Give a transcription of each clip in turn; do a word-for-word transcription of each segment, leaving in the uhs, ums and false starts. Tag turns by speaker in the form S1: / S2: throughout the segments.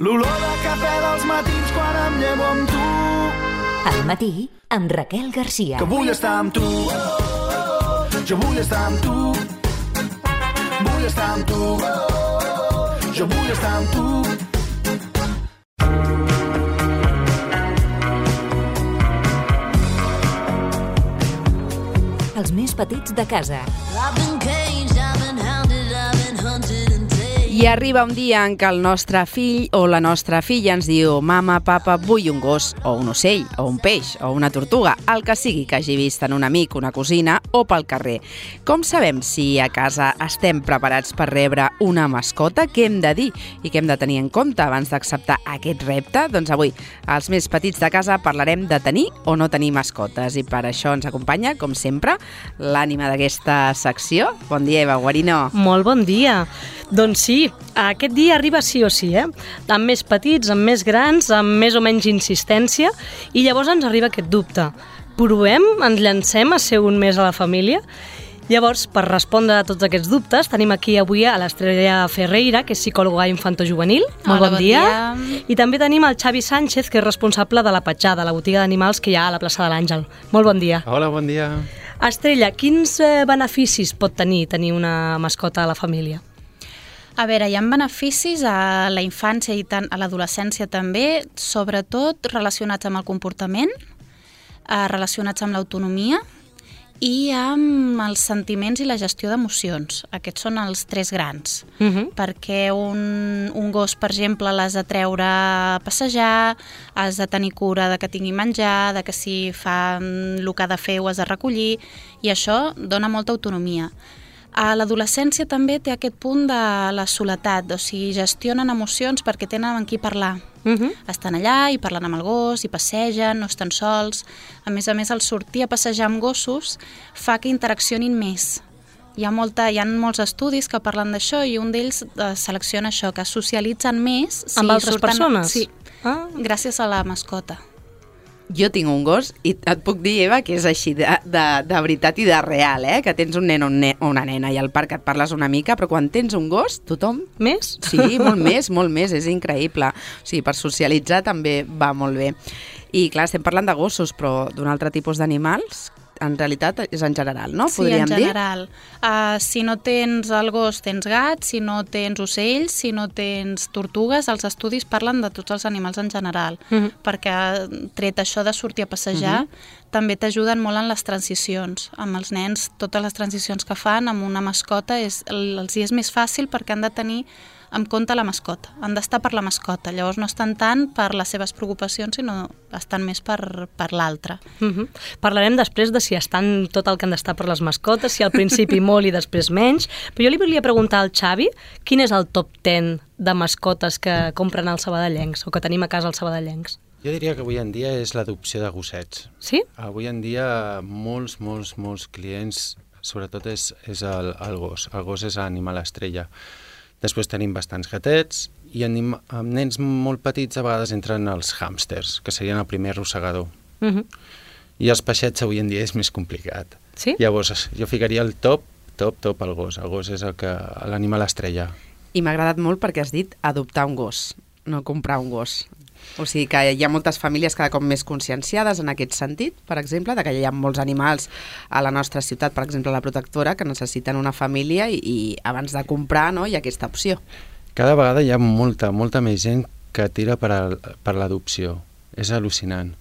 S1: L'olor de cafè dels matins quan em llevo amb tu.
S2: Al matí, amb Raquel Garcia.
S1: Que vull estar amb tu. Jo vull estar amb tu. Vull estar amb tu. Jo vull estar amb tu.
S2: Els més petits de casa.
S3: I arriba un dia en què el nostre fill o la nostra filla ens diu: mama, papa, vull un gos, o un ocell, o un peix, o una tortuga, el que sigui que hagi vist en un amic, una cosina o pel carrer. Com sabem si a casa estem preparats per rebre una mascota? Què hem de dir i què hem de tenir en compte abans d'acceptar aquest repte? Doncs avui, als més petits de casa, parlarem de tenir o no tenir mascotes. I per això ens acompanya, com sempre, l'ànima d'aquesta secció. Bon dia, Eva Guarino.
S4: Molt bon dia. Doncs sí, aquest dia arriba sí o sí, eh? Amb més petits, amb més grans, amb més o menys insistència, i llavors ens arriba aquest dubte. Provem? Ens llancem a ser un més a la família? Llavors, per respondre a tots aquests dubtes, tenim aquí avui a l'Estrella Ferreira, que és psicòloga infantojuvenil. Molt
S5: Hola,
S4: bon,
S5: bon
S4: dia.
S5: dia.
S4: I també tenim el Xavi Sánchez, que és responsable de la Petjada, la botiga d'animals que hi ha a la plaça de l'Àngel. Molt bon dia.
S6: Hola, bon dia.
S4: Estrella, quins eh, beneficis pot tenir tenir una mascota a la família?
S5: A veure, hi ha beneficis a la infància i tant a l'adolescència també, sobretot relacionats amb el comportament, eh, relacionats amb l'autonomia i amb els sentiments i la gestió d'emocions. Aquests són els tres grans,
S4: Uh-huh.
S5: perquè un, un gos, per exemple, l'has de treure a passejar, has de tenir cura de que tingui menjar, de que si fa el que ha de fer ho has de recollir, i això dona molta autonomia. A l'adolescència també té aquest punt de la soledat, o sigui, gestionen emocions perquè tenen amb qui parlar.
S4: Uh-huh.
S5: Estan allà i parlen amb el gos, i passegen, no estan sols. A més a més, el sortir a passejar amb gossos fa que interaccionin més. Hi ha, molta, hi ha molts estudis que parlen d'això i un d'ells eh, selecciona això, que socialitzen més. Si
S4: Amb altres
S5: surten,
S4: persones?
S5: Sí,
S4: Ah.
S5: gràcies a la mascota.
S3: Jo tinc un gos i et puc dir, Eva, que és així de, de, de veritat i de real, eh? Que tens un nen o un ne- o una nena i al parc et parles una mica, però quan tens un gos, tothom...
S4: Més?
S3: Sí, molt més, molt més, és increïble. O sigui, per socialitzar també va molt bé. I clar, estem parlant de gossos, però d'un altre tipus d'animals, en realitat és en general, no?
S5: Sí,
S3: Podríem
S5: en
S3: dir?
S5: general. Uh, si no tens el gos, tens gats, si no tens ocells, si no tens tortugues, els estudis parlen de tots els animals en general,
S4: Mhm.
S5: perquè tret això de sortir a passejar, també t'ajuden molt en les transicions. Amb els nens, totes les transicions que fan amb una mascota és, els hi és més fàcil perquè han de tenir en compte la mascota, han d'estar per la mascota, llavors no estan tant per les seves preocupacions, sinó estan més per, per l'altre.
S4: Uh-huh. Parlarem després de si estan tot el que han d'estar per les mascotes, si al principi molt i després menys, però jo li volia preguntar al Xavi quin és el top ten de mascotes que compren als sabadellencs o que tenim a casa als sabadellencs.
S6: Jo diria que avui en dia és l'adopció de gossets.
S4: Sí?
S6: Avui en dia molts, molts, molts clients, sobretot és, és el, el gos. El gos és l'animal estrella. Després tenim bastants gatets i anim, amb nens molt petits a vegades entren els hàmsters, que serien el primer arrossegador.
S4: Uh-huh.
S6: I els peixets avui en dia és més complicat.
S4: Sí?
S6: Llavors jo ficaria el top, top, top al gos. El gos és el que l'animal estrella.
S3: I m'ha agradat molt perquè has dit adoptar un gos, no comprar un gos. O sigui que hi ha moltes famílies cada cop més conscienciades en aquest sentit, per exemple, de que hi ha molts animals a la nostra ciutat, per exemple la protectora, que necessiten una família i, i abans de comprar, no, hi ha aquesta opció.
S6: Cada vegada hi ha molta, molta més gent que tira per, al, per l'adopció. És al·lucinant.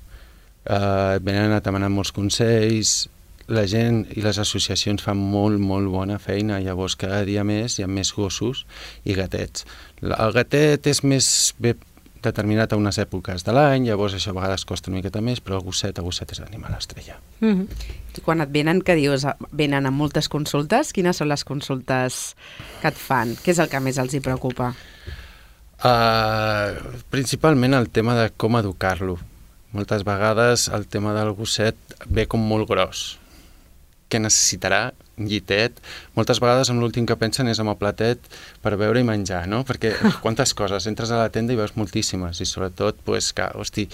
S6: Uh, venen a demanar molts consells, la gent i les associacions fan molt, molt bona feina, llavors cada dia més hi ha més gossos i gatets. El gatet és més bé determinat a unes èpoques de l'any, llavors això a vegades costa una miqueta més, però el gosset, el gosset és l'animal estrella.
S4: Uh-huh.
S3: Quan et venen, que dius, venen amb moltes consultes, quines són les consultes que et fan? Què és el que més els hi preocupa?
S6: Uh, principalment el tema de com educar-lo. Moltes vegades el tema del gosset ve com molt gros. Què necessitarà? Un llitet. Moltes vegades amb l'últim que pensen és amb el platet per beure i menjar, no? Perquè quantes coses, entres a la tenda i veus moltíssimes i sobretot, pues, que, hosti,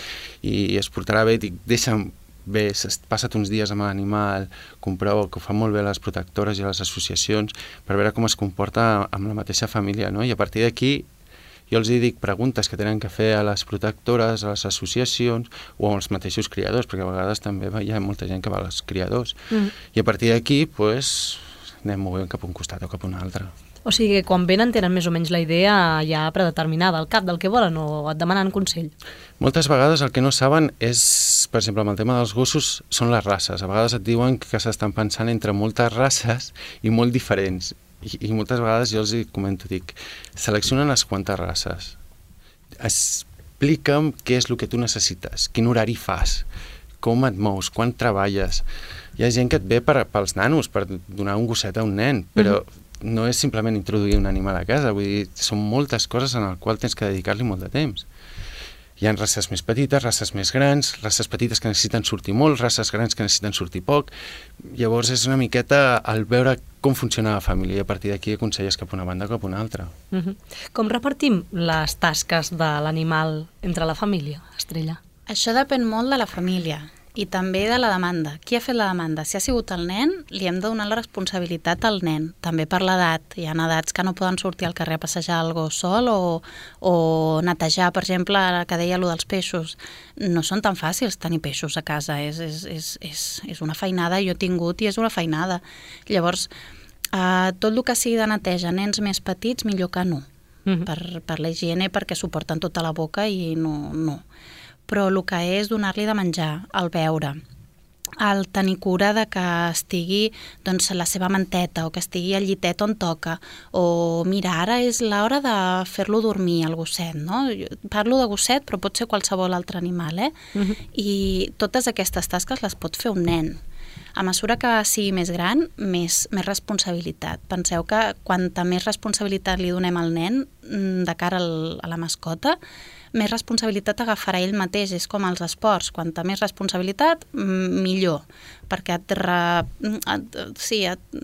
S6: i es portarà bé, dic, deixa'm bé, passa't uns dies amb l'animal, comprova, que ho fan molt bé les protectores i les associacions per veure com es comporta amb la mateixa família, no? I a partir d'aquí Jo els hi dic preguntes que tenen que fer a les protectores, a les associacions o als mateixos criadors, perquè a vegades també hi ha molta gent que va als criadors. Mm. I a partir d'aquí, pues, anem movent cap a un costat o cap a un altre.
S4: O sigui que quan venen tenen més o menys la idea ja predeterminada, al cap del que volen, o et demanen consell?
S6: Moltes vegades el que no saben és, per exemple, amb el tema dels gossos, són les races. A vegades et diuen que s'estan pensant entre moltes races i molt diferents. I, i moltes vegades jo els hi comento, dic, selecciona unes quantes races. Explica'm què és el que tu necessites, quin horari fas, com et mous, quan treballes. Hi ha gent que et ve per, pels nanos, per donar un gosset a un nen, però mm-hmm. no és simplement introduir un animal a casa, vull dir, són moltes coses en les quals tens que dedicar-li molt de temps. Hi ha races més petites, races més grans, races petites que necessiten sortir molt, races grans que necessiten sortir poc. Llavors és una miqueta el veure com funciona la família i a partir d'aquí aconselles cap a una banda o cap a una altra.
S4: Uh-huh. Com repartim les tasques de l'animal entre la família, Estrella?
S5: Això depèn molt de la família i també de la demanda. Qui ha fet la demanda? Si ha sigut el nen, li hem de donar la responsabilitat al nen, també per l'edat. Hi ha edats que no poden sortir al carrer a passejar el gos sol o, o netejar, per exemple, que deia allò dels peixos. No són tan fàcils tenir peixos a casa, és, és, és, és, és una feinada, jo he tingut i és una feinada. Llavors, eh, tot el que sigui de neteja, nens més petits, millor que no, mm-hmm. per, per la higiene, perquè suporten tota la boca i no... no. Però el que és donar-li de menjar, el beure, el tenir cura de que estigui doncs, la seva manteta o que estigui al llitet on toca, o mira, ara és l'hora de fer-lo dormir, el gosset, no? Jo parlo de gosset, però pot ser qualsevol altre animal, eh? Uh-huh. I totes aquestes tasques les pot fer un nen. A mesura que sigui més gran, més, més responsabilitat. Penseu que quanta més responsabilitat li donem al nen de cara al, a la mascota, més responsabilitat agafarà ell mateix. És com els esports, quanta més responsabilitat, millor, perquè et, re, et, sí, et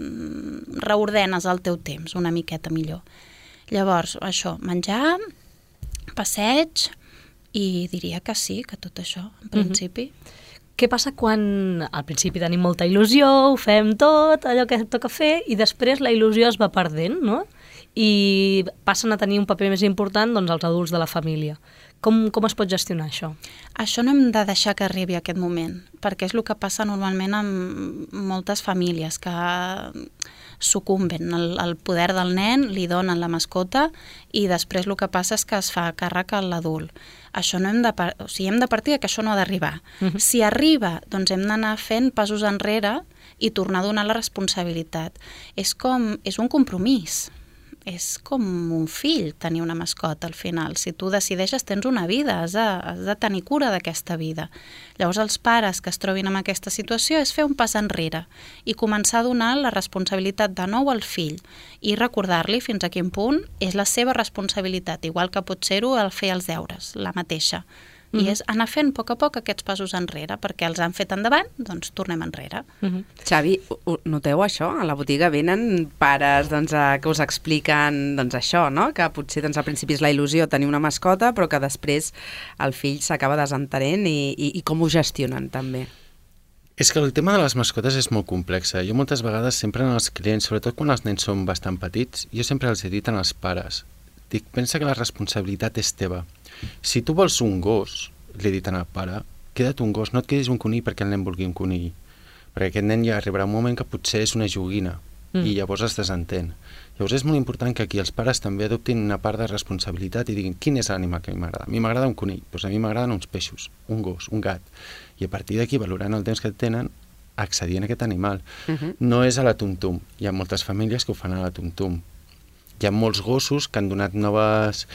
S5: reordenes el teu temps una miqueta millor. Llavors, això, menjar, passeig, i diria que sí, que tot això, en principi.
S4: Mm-hmm. Què passa quan al principi tenim molta il·lusió, ho fem tot, allò que toca fer, i després la il·lusió es va perdent, no? I passen a tenir un paper més important doncs, els adults de la família. Com, com es pot gestionar això?
S5: Això no hem de deixar que arribi aquest moment, perquè és el que passa normalment amb moltes famílies, que sucumben el, el poder del nen, li donen la mascota i després el que passa és que es fa càrrec a l'adult. Això no hem de, o sigui, hem de partir que això no ha d'arribar. Uh-huh. Si arriba, doncs hem d'anar fent passos enrere i tornar a donar la responsabilitat. És com, és un compromís. És com un fill tenir una mascota al final. Si tu decideixes, tens una vida, has de, has de tenir cura d'aquesta vida. Llavors els pares que es trobin en aquesta situació és fer un pas enrere i començar a donar la responsabilitat de nou al fill i recordar-li fins a quin punt és la seva responsabilitat, igual que pot ser-ho el fer els deures, la mateixa. I és anar fent a poc a poc aquests passos enrere, perquè els han fet endavant, doncs tornem enrere.
S3: Uh-huh. Xavi, noteu això? A la botiga venen pares doncs, a, que us expliquen doncs, això, no? Que potser doncs, al principi és la il·lusió tenir una mascota, però que després el fill s'acaba desentenent i, i, i com ho gestionen també.
S6: És que el tema de les mascotes és molt complex. Jo moltes vegades sempre en els clients, sobretot quan els nens són bastant petits, jo sempre els he dit als pares, dic, pensa que la responsabilitat és teva. Si tu vols un gos, li he dit al pare, queda't un gos, no et quedis un conill perquè el nen vulgui un conill. Perquè aquest nen ja arribarà un moment que potser és una joguina mm. i llavors es desentén. Llavors és molt important que aquí els pares també adoptin una part de responsabilitat i diguin quin és l'animal que a mi m'agrada. A mi m'agrada un conill, doncs a mi m'agraden uns peixos, un gos, un gat. I a partir d'aquí, valorant el temps que tenen, accedir a aquest animal. Uh-huh. No és a la tum-tum. Hi ha moltes famílies que ho fan a la tum-tum. Hi ha molts gossos que han donat noves...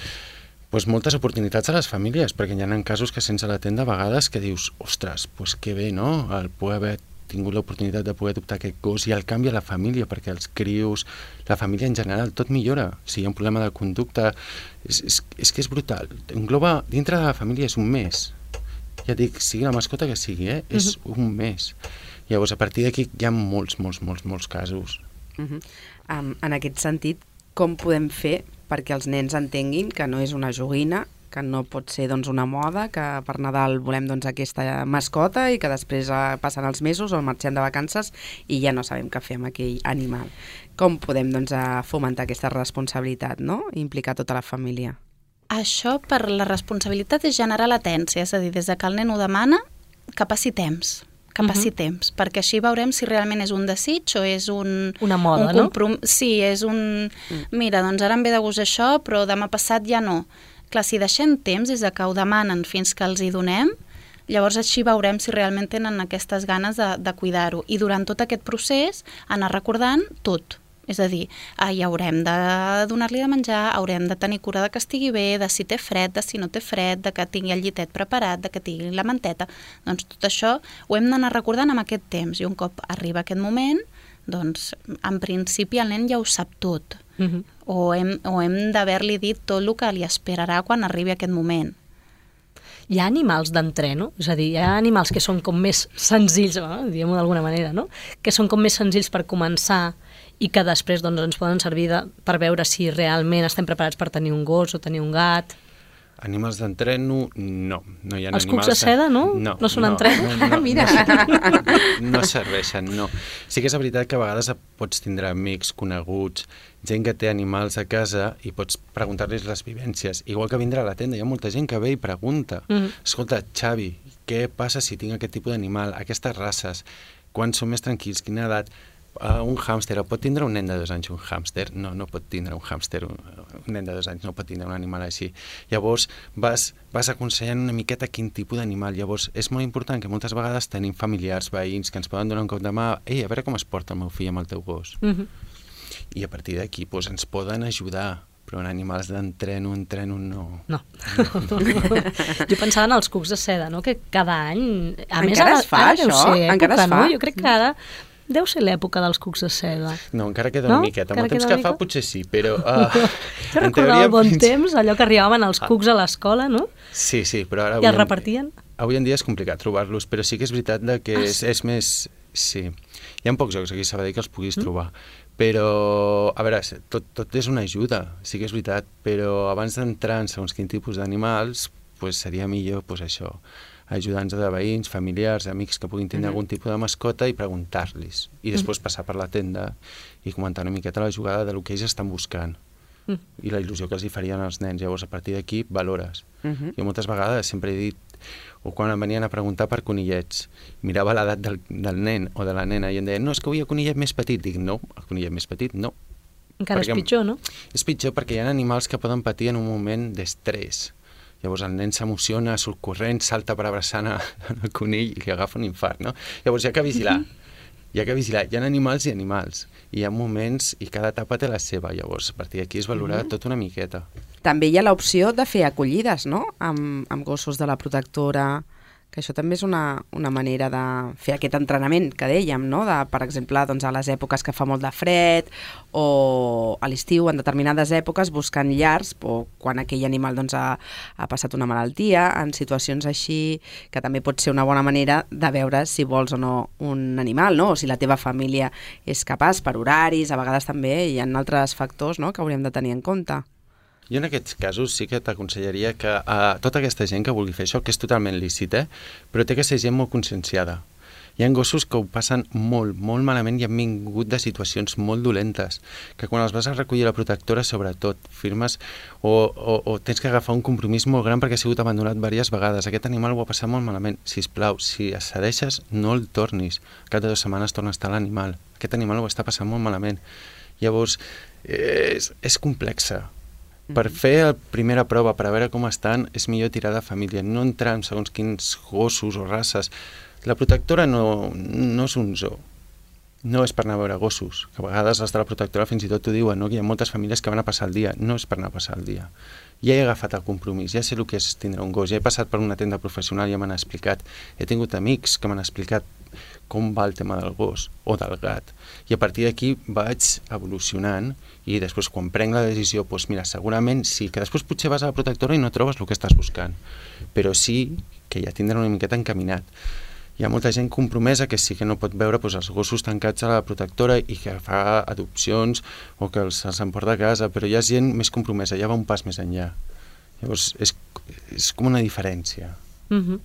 S6: Pues moltes oportunitats a les famílies, perquè hi ha casos que sense la tenda a vegades que dius, ostres, pues que bé, no? El poder haver tingut l'oportunitat de poder adoptar aquest gos i el canvi a la família, perquè els crios, la família en general, tot millora. Si hi ha un problema de conducta, és, és, és que és brutal. Engloba, dintre de la família és un mes. Ja dic, sigui la mascota que sigui, eh? És uh-huh. un mes. Llavors, a partir d'aquí hi ha molts, molts, molts, molts casos.
S3: Uh-huh. Um, en aquest sentit, com podem fer perquè els nens entenguin que no és una joguina, que no pot ser doncs, una moda, que per Nadal volem doncs, aquesta mascota i que després eh, passen els mesos o marxem de vacances i ja no sabem què fer amb aquell animal. Com podem doncs, fomentar aquesta responsabilitat, no? I implicar tota la família?
S5: Això per la responsabilitat és generar latència, és a dir, des de que el nen ho demana, que passi temps, que passi uh -huh. temps, perquè així veurem si realment és un desig o és un...
S4: Una moda,
S5: un comprom... no? Sí, és un... Mira, doncs ara em ve de gust això, però demà passat ja no. Clar, si deixem temps des de que ho demanen fins que els hi donem, llavors així veurem si realment tenen aquestes ganes de, de cuidar-ho. I durant tot aquest procés anar recordant tot. És a dir, ah, ja haurem de donar-li de menjar, haurem de tenir cura de que estigui bé, de si té fred, de si no té fred, de que tingui el llitet preparat, de que tingui la manteta. Doncs tot això ho hem d'anar recordant amb aquest temps. I un cop arriba aquest moment, doncs en principi el nen ja ho sap tot. Uh-huh. O hem, o hem d'haver-li dit tot el que li esperarà quan arribi aquest moment.
S4: Hi ha animals d'entreno? És a dir, hi ha animals que són com més senzills, no? Diguem-ho d'alguna manera, no? Que són com més senzills per començar i que després doncs, ens poden servir de, per veure si realment estem preparats per tenir un gos o tenir un gat.
S6: Animals d'entreno, no. no hi ha
S4: Els
S6: animals
S4: cucs de seda, no?
S6: No,
S4: no són
S6: no,
S4: entreno?
S6: No, no,
S3: Mira.
S6: No, no serveixen, no. Sí que és veritat que a vegades pots tindre amics, coneguts, gent que té animals a casa i pots preguntar-los les vivències. Igual que vindrà a la tenda, hi ha molta gent que ve i pregunta. Mm. Escolta, Xavi, què passa si tinc aquest tipus d'animal, aquestes races, quan són més tranquils, quina edat? Uh, un hàmster, pot tindre un nen de dos anys un hàmster? No, no pot tindre un hàmster, un, un nen de dos anys no pot tindre un animal així. Llavors vas, vas aconsellant una miqueta quin tipus d'animal. Llavors és molt important que moltes vegades tenim familiars, veïns, que ens poden donar un cop de mà, ei, a veure com es porta el meu fill amb el teu gos. Mm-hmm. I a partir d'aquí doncs, ens poden ajudar, però en animals d'entreno, entreno, no.
S4: No. no. Jo pensava en els cucs de seda, no? Que cada any... A
S3: Encara
S4: més, ara,
S3: es fa,
S4: ara deu
S3: això?
S4: ser època,
S3: Encara es fa?
S4: no? Jo crec que ara deu ser l'època dels cucs de seda.
S6: No, encara queda
S4: no?
S6: una miqueta. Amb el temps
S4: queda
S6: que
S4: mica?
S6: fa potser sí, però... Uh,
S4: Jo recordava el bon temps, allò que arribaven els cucs a l'escola, no?
S6: Sí, sí, però ara...
S4: I els repartien?
S6: Avui en dia és complicat trobar-los, però sí que és veritat que ah, és, és més... Sí, hi ha pocs jocs aquí a Sabadell que els puguis mm. trobar, però, a veure, tot, tot és una ajuda, sí que és veritat, però abans d'entrar en segons quin tipus d'animals, pues seria millor, pues això, ajudants de veïns, familiars, amics que puguin tenir mm-hmm. algun tipus de mascota i preguntar-los, i després mm. passar per la tenda i comentar una miqueta la jugada de lo que ells estan buscant mm. i la il·lusió que els hi farien als nens. Llavors, a partir d'aquí, valores. Mm-hmm. Jo moltes vegades sempre he dit, o quan em venien a preguntar per conillets, mirava l'edat del, del nen o de la nena i em deien, no, és que vull el conillet més petit. Dic, no, el conillet més petit, no.
S4: Encara perquè és pitjor, no?
S6: És pitjor perquè hi ha animals que poden patir en un moment d'estrès. Llavors el nen s'emociona, surt corrent, salta per abraçar el conill i li agafa un infart, no? Llavors hi ha que vigilar. Hi ha que vigilar. Hi ha animals i animals. I hi ha moments i cada etapa té la seva. Llavors, a partir d'aquí es valora mm-hmm. tot una miqueta.
S3: També hi ha l'opció de fer acollides, no?, amb, amb gossos de la protectora, que això també és una, una manera de fer aquest entrenament que dèiem, no?, de, per exemple, doncs, a les èpoques que fa molt de fred o a l'estiu, en determinades èpoques, buscant llars o quan aquell animal doncs, ha, ha passat una malaltia, en situacions així, que també pot ser una bona manera de veure si vols o no un animal, no?, o si la teva família és capaç, per horaris, a vegades també hi ha altres factors, no?, que hauríem de tenir en compte.
S6: Jo en aquests casos sí que t'aconsellaria que a tota aquesta gent que vulgui fer això, que és totalment lícit, eh? Però té que ser gent molt conscienciada. Hi ha gossos que ho passen molt, molt malament i han vingut de situacions molt dolentes, que quan els vas a recollir a la protectora, sobretot, firmes o, o, o tens que agafar un compromís molt gran perquè ha sigut abandonat diverses vegades. Aquest animal ho ha passat molt malament. Sisplau, si es cedeixes, no el tornis. Cada dues setmanes torna a estar l'animal. Aquest animal ho està passant molt malament. Llavors, és, és complexa. Per fer la primera prova, per a veure com estan, és millor tirar de família, no entrar en segons quins gossos o races. La protectora no, no és un zoo, no és per anar a veure gossos, que a vegades els de la protectora fins i tot t'ho diuen, no? Que hi ha moltes famílies que van a passar el dia, no és per anar a passar el dia. Ja he agafat el compromís, ja sé el que és tindre un gos, ja he passat per una tenda professional i ja m'han explicat, he tingut amics que m'han explicat com va el tema del gos o del gat. I a partir d'aquí vaig evolucionant i després quan prenc la decisió, doncs mira, segurament sí, que després potser vas a la protectora i no trobes el que estàs buscant, però sí que ja tindrà una miqueta encaminat. Hi ha molta gent compromesa que sí que no pot veure doncs, els gossos tancats a la protectora i que fa adopcions o que els, els emporta a casa, però hi ha gent més compromesa, ja va un pas més enllà. Llavors és, és com una diferència.
S4: Uh-huh.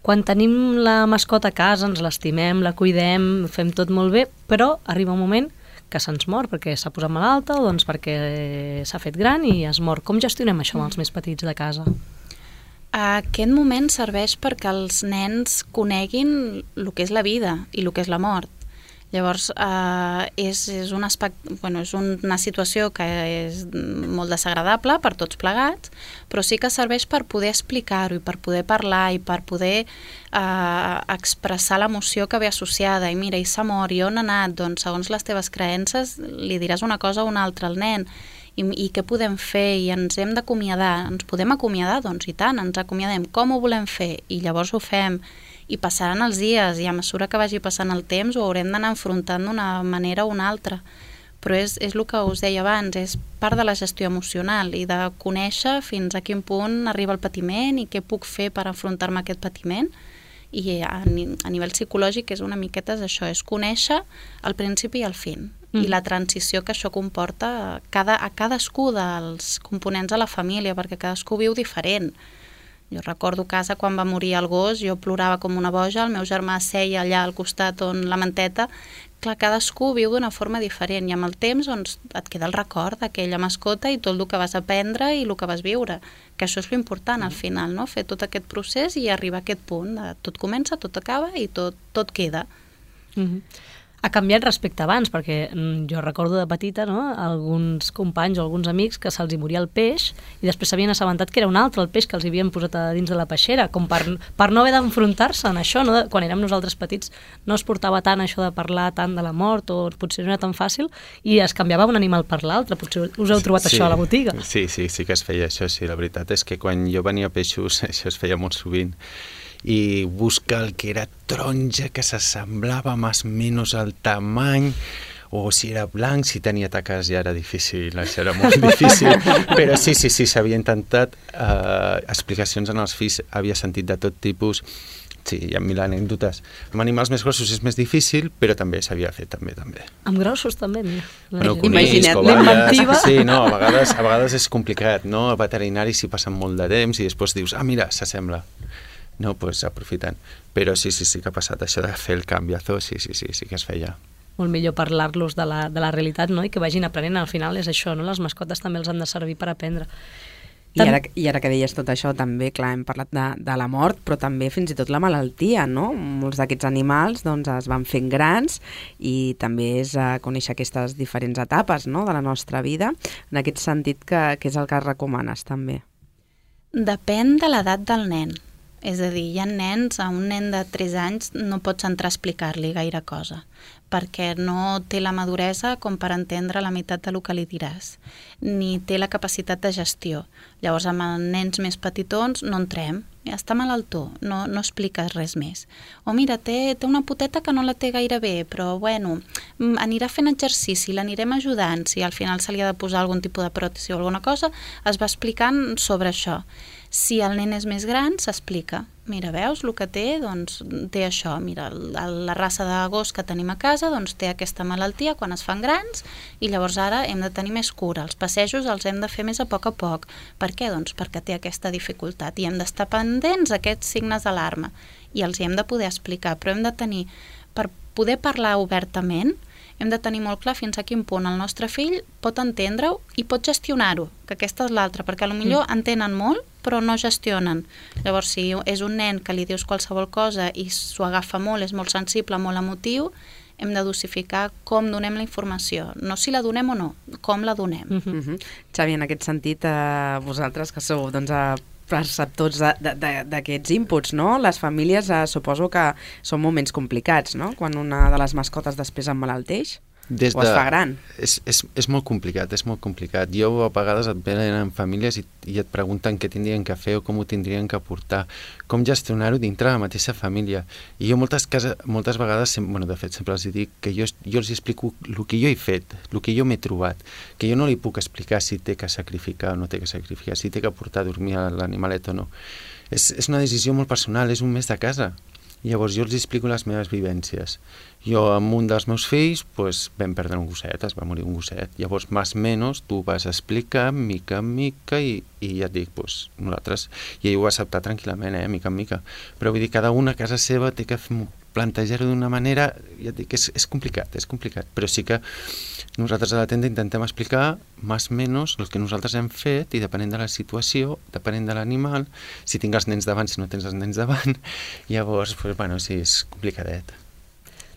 S4: Quan tenim la mascota a casa, ens l'estimem, la cuidem, fem tot molt bé, però arriba un moment que se'ns mor perquè s'ha posat malalta o doncs perquè s'ha fet gran i es mor. Com gestionem això amb els més petits de casa?
S5: Aquest moment serveix perquè els nens coneguin el que és la vida i el que és la mort. Llavors, eh, és, és, un aspecte, bueno, és una situació que és molt desagradable per tots plegats, però sí que serveix per poder explicar-ho i per poder parlar i per poder eh, expressar l'emoció que ve associada. I mira, i s'ha mort, i on ha anat? Doncs segons les teves creences li diràs una cosa o una altra al nen. I, i què podem fer? I ens hem d'acomiadar. Ens podem acomiadar? Doncs i tant, ens acomiadem. Com ho volem fer? I llavors ho fem. I passaran els dies, i a mesura que vagi passant el temps ho haurem d'anar enfrontant d'una manera o una altra. Però és, és el que us deia abans, és part de la gestió emocional i de conèixer fins a quin punt arriba el patiment i què puc fer per enfrontar-me a aquest patiment. I a, a nivell psicològic és una miqueta això, és conèixer el principi i el fin. Mm. I la transició que això comporta a, cada, a cadascú dels components de la família, perquè cadascú viu diferent. Jo recordo casa quan va morir el gos, jo plorava com una boja, el meu germà seia allà al costat on la manteta. Clar, cadascú viu d'una forma diferent i amb el temps doncs, et queda el record d'aquella mascota i tot el que vas aprendre i el que vas viure, que això és l'important al final, no? Fer tot aquest procés i arribar a aquest punt de tot comença, tot acaba i tot, tot queda.
S4: Mm-hmm. Ha canviat respecte abans, perquè jo recordo de petita, no?, alguns companys o alguns amics que se'ls hi moria el peix i després s'havien assabentat que era un altre el peix que els havien posat a dins de la peixera, com per, per no haver d'enfrontar-se en això, no? Quan érem nosaltres petits no es portava tant això de parlar tant de la mort o potser no era tan fàcil i es canviava un animal per l'altre. Potser us heu trobat sí, això a la botiga.
S6: Sí, sí, sí que es feia això, sí. La veritat és que quan jo venia a peixos això es feia molt sovint. I buscar el que era taronja, que s'assemblava més o menys al tamany, o si era blanc, si tenia taques ja era difícil, això era molt difícil, però sí, sí, sí, s'havia intentat eh, explicacions en els fills, havia sentit de tot tipus, sí, hi ha mil anècdotes. Amb animals més grossos és més difícil, però també s'havia fet, també, també.
S4: Amb grossos també, mira.
S6: Bueno, conills, covalles, sí, no, a vegades, a vegades és complicat, no? A veterinaris s'hi passen molt de temps i després dius, ah, mira, s'assembla. No, doncs pues, aprofitant. Però sí, sí, sí que ha passat això de fer el canviazo, sí, sí, sí, sí que es feia.
S4: Molt millor parlar-los de la, de la realitat, no?, i que vagin aprenent. Al final és això, no? Les mascotes també els han de servir per aprendre.
S3: I ara, I ara que deies tot això, també, clar, hem parlat de, de la mort, però també fins i tot la malaltia, no? Molts d'aquests animals doncs, es van fent grans i també és a conèixer aquestes diferents etapes, no?, de la nostra vida. En aquest sentit, que, que és el que recomanes, també?
S5: Depèn de l'edat del nen. És a dir, hi ha nens, a un nen de tres anys no pots entrar a explicar-li gaire cosa, perquè no té la maduresa com per entendre la meitat del que li diràs, ni té la capacitat de gestió. Llavors, amb els nens més petitons no entrem, està malaltó, no, no expliques res més. O mira, té, té una poteta que no la té gaire bé, però bueno, anirà fent exercici, l'anirem ajudant, si al final se li ha de posar algun tipus de pròtesi o alguna cosa, es va explicant sobre això. Si el nen és més gran, s'explica. Mira, veus, el que té, doncs, té això. Mira, la raça de gos que tenim a casa, doncs, té aquesta malaltia quan es fan grans i llavors ara hem de tenir més cura. Els passejos els hem de fer més a poc a poc. Per què? Doncs perquè té aquesta dificultat i hem d'estar pendents d'aquests signes d'alarma i els hi hem de poder explicar, però hem de tenir, per poder parlar obertament, hem de tenir molt clar fins a quin punt el nostre fill pot entendre-ho i pot gestionar-ho, que aquesta és l'altra, perquè potser mm. entenen molt, però no gestionen. Llavors, si és un nen que li dius qualsevol cosa i s'ho agafa molt, és molt sensible, molt emotiu, hem de dosificar com donem la informació. No si la donem o no, com la donem.
S3: Mm -hmm. Xavi, en aquest sentit, eh, vosaltres que sou doncs, a perceptors d'aquests inputs, no? Les famílies eh, suposo que són moments complicats, no?, quan una de les mascotes després emmalalteix. Des de... o es fa gran.
S6: És, és, és molt complicat, és molt complicat. Jo a vegades et venen en famílies i, i et pregunten què tindrien que fer o com ho tindrien que portar, com gestionar-ho dintre de la mateixa família. I jo moltes, casa, moltes vegades, bueno, de fet sempre els dic que jo, jo els explico el que jo he fet, el que jo m'he trobat, que jo no li puc explicar si té que sacrificar o no té que sacrificar, si té que portar a dormir a l'animalet o no. És, és una decisió molt personal, és un mes de casa. Llavors jo els explico les meves vivències. Jo amb un dels meus fills pues, vam perdre un gosset, es va morir un gosset. Llavors, més o menys, tu vas explicar mica en mica i, i ja et dic, pues, nosaltres, i ell ho va acceptar tranquil·lament, eh, mica en mica. Però vull dir, cada una a casa seva té que plantejar-ho d'una manera, ja et dic, és, és complicat, és complicat, però sí que nosaltres a la tenda intentem explicar més o menys el que nosaltres hem fet i depenent de la situació, depenent de l'animal, si tinc els nens davant, si no tens els nens davant, llavors, pues, bueno, sí, és complicadet.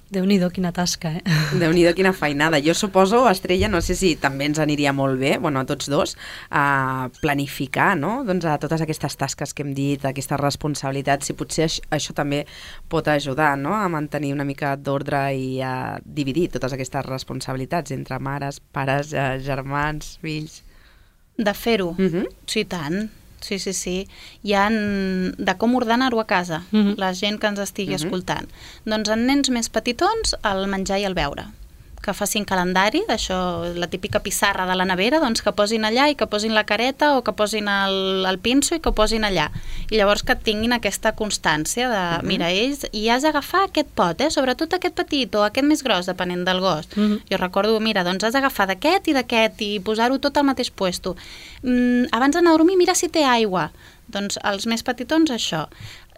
S4: Déu-n'hi-do, quina tasca, eh?
S3: Déu-n'hi-do, quina feinada. Jo suposo, Estrella, no sé si també ens aniria molt bé, bueno, a tots dos, a planificar, no?, doncs a totes aquestes tasques que hem dit, aquestes responsabilitats, si potser això, això també pot ajudar, no?, a mantenir una mica d'ordre i a dividir totes aquestes responsabilitats entre mares, pares, eh, germans, fills...
S5: De fer-ho,
S3: Mhm.
S5: sí, tant. Sí, sí, sí. Hi ha de com ordenar-ho a casa,
S4: Mhm.
S5: la gent que ens estigui
S3: Mhm.
S5: escoltant. Doncs en nens més petitons, el menjar i el beure. Que facin calendari, això, la típica pissarra de la nevera, doncs que posin allà i que posin la careta o que posin el, el pinso i que posin allà. I llavors que tinguin aquesta constància de,
S3: Mhm.
S5: mira, ells, i has d'agafar aquest pot, eh? Sobretot aquest petit o aquest més gros, depenent del gos.
S4: Mhm.
S5: Jo recordo, mira, doncs has d'agafar d'aquest i d'aquest i posar-ho tot al mateix puesto. Mm, abans d'anar a dormir, mira si té aigua. Doncs els més petitons, això.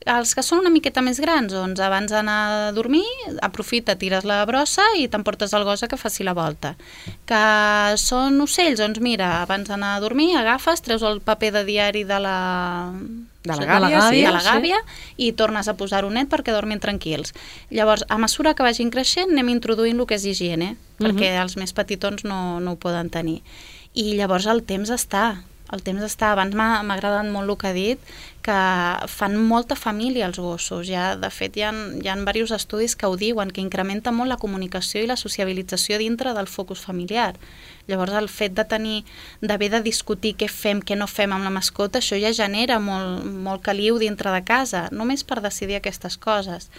S5: Els que són una miqueta més grans, doncs abans d'anar a dormir, aprofita, tires la brossa i t'emportes el gos a que faci la volta. Que són ocells, doncs mira, abans d'anar a dormir, agafes, treus el paper de diari de la...
S3: De la
S4: Sí,
S3: gàbia, sí.
S5: de la
S4: sí.
S5: gàbia i tornes a posar-ho net perquè dormin tranquils. Llavors, a mesura que vagin creixent, anem introduint el que és higiene, perquè els més petitons no, no ho poden tenir. I llavors el temps està, el temps està. Abans m'ha m'ha agradat molt el que ha dit, que fan molta família els gossos. Ja, de fet, hi ha, hi ha diversos estudis que ho diuen, que incrementa molt la comunicació i la sociabilització dintre del focus familiar. Llavors, el fet de tenir, d'haver de discutir què fem, què no fem amb la mascota, això ja genera molt, molt caliu dintre de casa, només per decidir aquestes coses.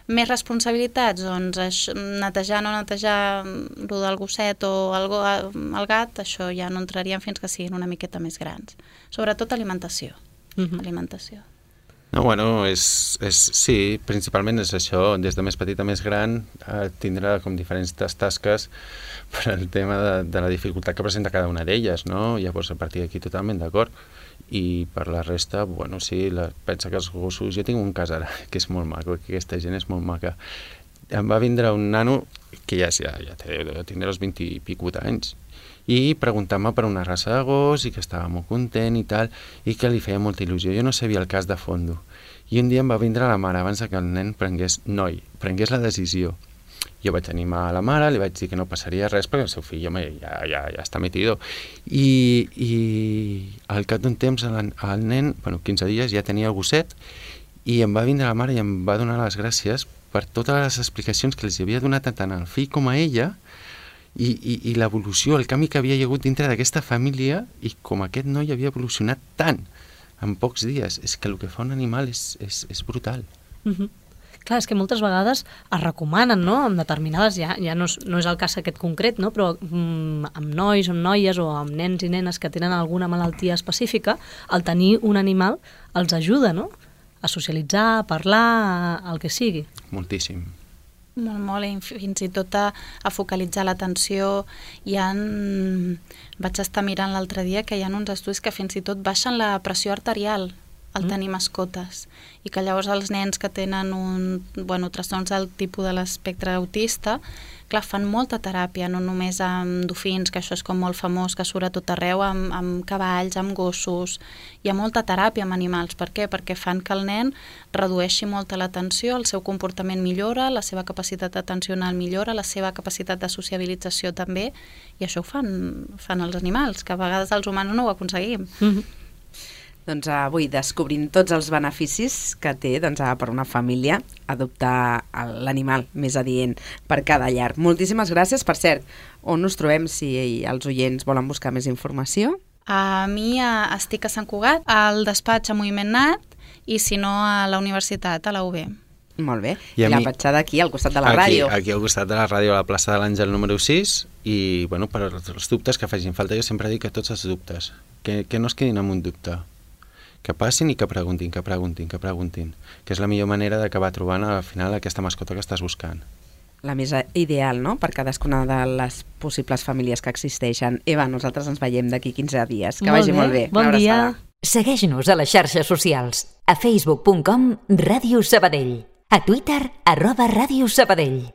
S5: Més responsabilitats, doncs això, netejar, no netejar el del gosset o el, go, el gat, això ja no entraríem fins que siguin una miqueta més grans. Sobretot alimentació.
S4: Mhm.
S5: Alimentació.
S6: No, bueno, és, és, sí, principalment és això, des de més petit a més gran, eh, tindrà com diferents tasques per al tema de, de la dificultat que presenta cada una d'elles, no? Llavors, a partir d'aquí totalment d'acord. I per la resta, bueno, sí, la, pensa que els gossos... Jo tinc un cas ara, que és molt maco, que aquesta gent és molt maca. Em va vindre un nano, que ja, ja, ja té, tindrà els vint i picut anys, i preguntar-me per una raça de gos i que estava molt content i tal, i que li feia molta il·lusió. Jo no sabia el cas de fondo. I un dia em va vindre la mare abans que el nen prengués, noi, prengués la decisió. Jo vaig animar a la mare, li vaig dir que no passaria res perquè el seu fill, home, ja, ja, ja està metido. I, i al cap d'un temps el, el nen, bueno, quinze dies, ja tenia el gosset i em va vindre la mare i em va donar les gràcies per totes les explicacions que els havia donat tant al fill com a ella i, i, i l'evolució, el canvi que havia hi hagut dintre d'aquesta família i com aquest noi havia evolucionat tant en pocs dies. És que el que fa un animal és, és, és brutal.
S4: Mhm. Clar, és que moltes vegades es recomanen, no?, amb determinades, ja, ja no, és, no és el cas aquest concret, no?, però mm, amb nois o amb noies o amb nens i nenes que tenen alguna malaltia específica, el tenir un animal els ajuda, no?, a socialitzar, a parlar, a, el que sigui.
S6: Moltíssim.
S5: Molt, molt, i fins i tot a, a focalitzar l'atenció. Hi ha... Vaig estar mirant l'altre dia que hi ha uns estudis que fins i tot baixen la pressió arterial al tenir mascotes, i que llavors els nens que tenen un, bueno, trastorns del tipus de l'espectre autista, clar, fan molta teràpia, no només amb dofins, que això és com molt famós, que surt a tot arreu, amb, amb cavalls, amb gossos. Hi ha molta teràpia amb animals. Per què? Perquè fan que el nen redueixi molta l'atenció, el seu comportament millora, la seva capacitat atencional millora, la seva capacitat de sociabilització també, i això ho fan, fan els animals, que a vegades els humans no ho aconseguim.
S4: Mhm.
S3: Doncs avui descobrint tots els beneficis que té doncs, per una família adoptar l'animal més adient per cada llar. Moltíssimes gràcies. Per cert, on us trobem si els oients volen buscar més informació?
S5: A mi a, estic a Sant Cugat, al despatx a Moviment Nat, i si no a la universitat, a la U B.
S3: Molt bé.
S6: I
S3: I,
S6: a
S3: la
S6: mi-
S3: petjada aquí, al costat de la
S6: aquí,
S3: ràdio.
S6: Aquí al costat de la ràdio, a la plaça de l'Àngel número sis, i bueno, per els dubtes que facin falta, jo sempre dic que tots els dubtes, que, que no es quedin amb un dubte, que passin i que preguntin, que preguntin, que preguntin, que és la millor manera d'acabar trobant al final aquesta mascota que estàs buscant.
S3: La més ideal, no?, per cadascuna de les possibles famílies que existeixen. Eva, nosaltres ens veiem d'aquí quinze dies. Que
S4: Molt
S3: vagi
S4: bé.
S3: molt bé.
S4: Bon
S3: Una
S4: dia.
S3: abraçada.
S2: Segueix-nos a les xarxes socials. A facebook punt com Ràdio Sabadell. A Twitter, arroba Ràdio Sabadell.